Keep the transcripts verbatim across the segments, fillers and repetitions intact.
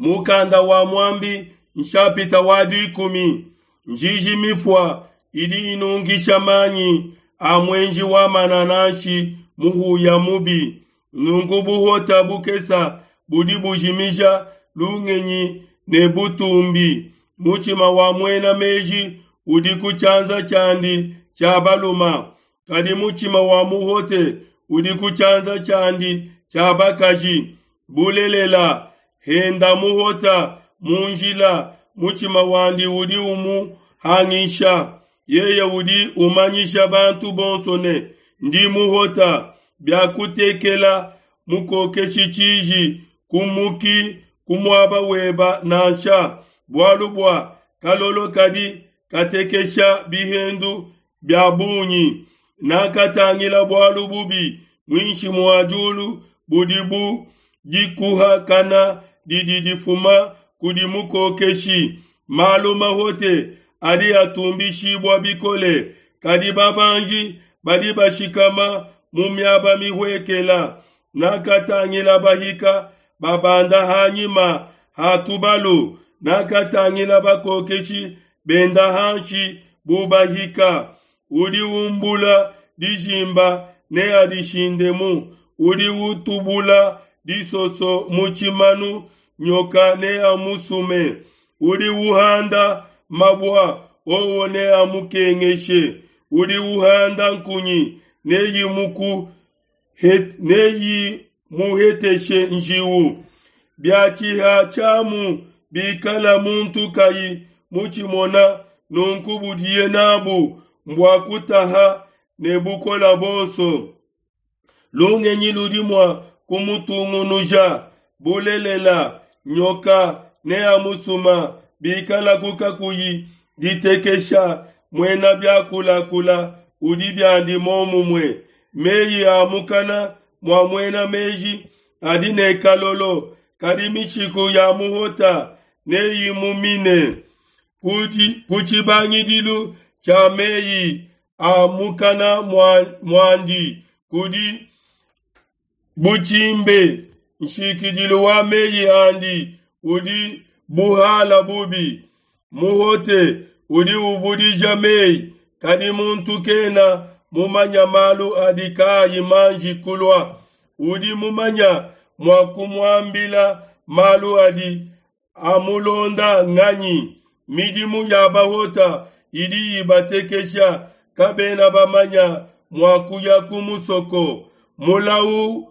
Mukanda wa Muambi nshapita wa dikumi. Njiji mifua idi inungisha manyi a muenji wa manananshi muhuya mubi. Nunku buhota bukesa budi bujimija lungenyi ne butumbi. Mutshima wa muena meji udi ku tshianza tshiandi tshia baluma, kadi mutshima wa muhote udi ku tshianza tshiandi tshia bakaji. Bulelela, henda muhota mu njila, mutshima wandi udi umuhangisha. Yeye udi umanyisha bantu bonso ne, Ndi muhota. Biakutekela mukokeshi tshiji, kumuki ku muaba weba nansha, bualu bua kalolo kadi katekesha bihendu bia bungi. Nakatangila bualu bubi muinshi mua diulu budi bu dikuhakana didi difuma kudi mukokeshi. Malu mahote adi atumbishibua bikole, kadi babanji badi bashikama mu miaba mihuekela. Nakatangila bahika babanda ha nyima ha tubalu, nakatangila bakokeshi benda hanshi bu bahika. Udi umbula dijimba neadishindemu, udi utubula disoso mu tshimanu, nyoka neamusume. Udi uhanda mabua, owo neamukengeshe. Udi uhanda nkunyi, neyimuheteshe njiu. Biatshiha tshiamu bikala muntu kayi mutshimona, nunku budiye n'abu mbua kutaha ne bukole buonso. Lungenyi ludi mua kumutungunuja. Bulelela, nyoka neamusuma bikalaku kakuyi ditekesha. Muena biakulakula udi biandi momumue. Meyi a mukana mua muena meji adi ne kalolo, kadi mishiku ya muhota neyimumine. Ku tshibangidilu tshia meyi a mukana muandi kudi butshimbe, nshikidilu wa meyi andi udi buhala bubi. Muhote udi uvudija meyi, kadi muntu kena mumanya malu adi kaayi manji kulua. Udi mumanya mua kumuambila malu adi amulonda nganyi? Midimu ya bahota idi ibatekesha, kabena bamanya mua kuya ku musoko. Mulau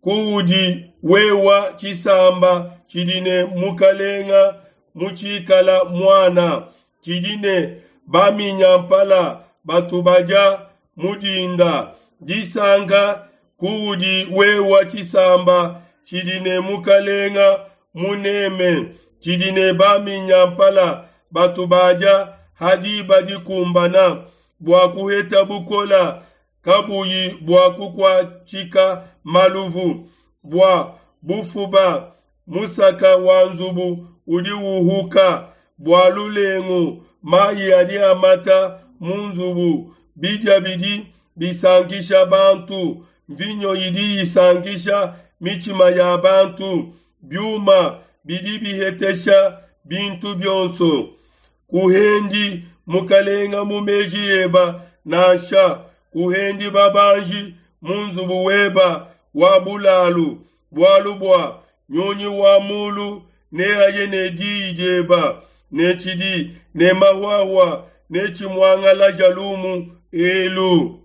kuudi wewa tshisamba tshidi ne mukalenga mutshikala muana, tshidi ne baminyampala batu badia mudinda. Disanka kuudi wewa tshisamba tshidi ne mukalenga muneme, tshidi ne baminyampala batu badia ha diba dikumbana, bua kuheta bukola kabuyi bua kukuatshika maluvu, bua bufuba musaka wa nzubu udi uhuka, bua lulengu mayi adi amata mu nzubu, bidia bidi bisankisha bantu, mvinyo idi isankisha mitshima ya bantu, biuma bidi bihetesha bintu bionso. Kuhendi mukalenga mu meji eba nansha, kuhendi babanji mu nzubu weba wa bulalu, bualu bua nyunyi wa mulu neaye ne diyi dieba, ne tshidi ne mahuahua netshimuangalaja lumu elu.